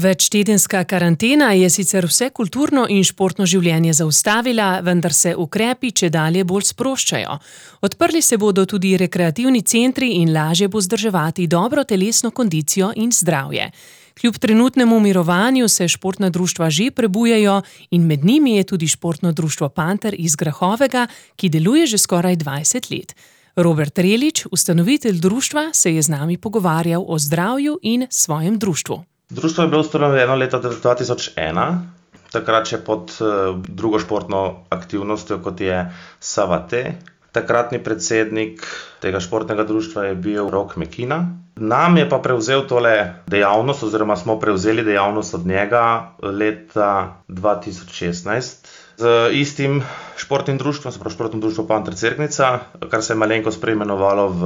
Večtedenska karantena je sicer vse kulturno in športno življenje zaustavila, vendar se ukrepi čedalje bolj sproščajo. Odprli se bodo tudi rekreativni centri in lažje bo vzdrževati dobro telesno kondicijo in zdravje. Kljub trenutnemu mirovanju se športna društva že prebujajo in med njimi je tudi športno društvo Panter iz Grahovega, ki deluje že skoraj 20 let. Robert Relič, ustanovitelj društva, se je z nami pogovarjal o zdravju in svojem društvu. Društvo je bilo ustanovljeno leta 2001, takrat še pod drugo športno aktivnostjo, kot je Savate. Takratni predsednik tega športnega društva je bil Rok Mekina. Nam je pa prevzel tole dejavnost, oziroma smo prevzeli dejavnost od njega leta 2016 z istim športnim društvom, se pravi športno društvo Panter Cerknica, kar se je malenkost preimenovalo v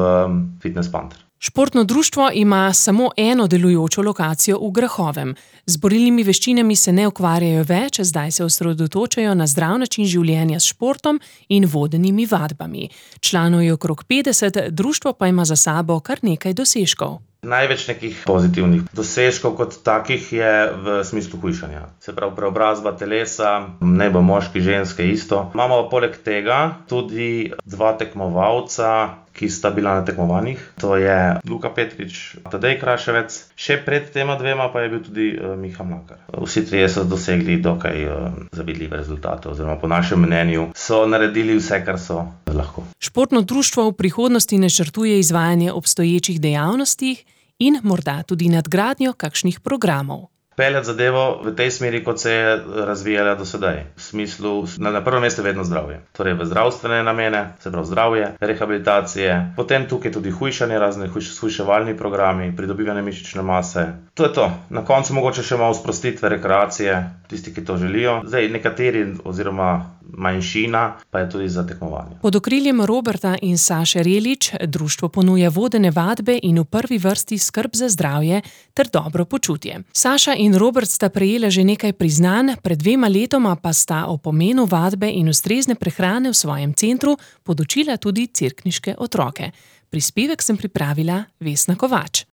Fitness Panter. Športno društvo ima samo eno delujočo lokacijo v Grahovem. Z borilnimi veščinami se ne ukvarjajo več, zdaj se osredotočajo na zdrav način življenja s športom in vodenimi vadbami. Članov je okrog 50, društvo pa ima za sabo kar nekaj dosežkov. Največ nekih pozitivnih dosežkov kot takih je v smislu hujšanja. Se pravi preobrazba telesa, naj bo moški, ženske isto. Imamo poleg tega tudi 2 tekmovalca, ki sta bila na tekmovanjih. To je Luka Petrič, Tadej Kraševec. Še pred tema 2 pa je bil tudi Miha Mlakar. Vsi trije so dosegli dokaj zavidljive rezultate, oziroma po našem mnenju so naredili vse, kar so lahko. Športno društvo v prihodnosti načrtuje izvajanje obstoječih dejavnosti in morda tudi nadgradnjo kakšnih programov. Peljati zadevo v tej smeri, kot se je razvijala do sedaj. V smislu, na prvem mestu vedno zdravje. Torej v zdravstvene namene, se pravi zdravje, rehabilitacije, potem tukaj tudi hujšanje, razne hujševalni programi, pridobivanje mišične mase. To je to. Na koncu mogoče še malo sprostitve, rekreacije, tisti, ki to želijo. Zdaj nekateri, oziroma manjšina, pa je tudi za tekmovanje. Pod okriljem Roberta in Saše Relič društvo ponuja vodene vadbe in v prvi vrsti skrb za zdravje ter dobro počutje. Saša in Robert sta prejela že nekaj priznanj, pred 2 letoma pa sta o pomenu vadbe in ustrezne prehrane v svojem centru podučila tudi cerkniške otroke. Prispevek sem pripravila Vesna Kovač.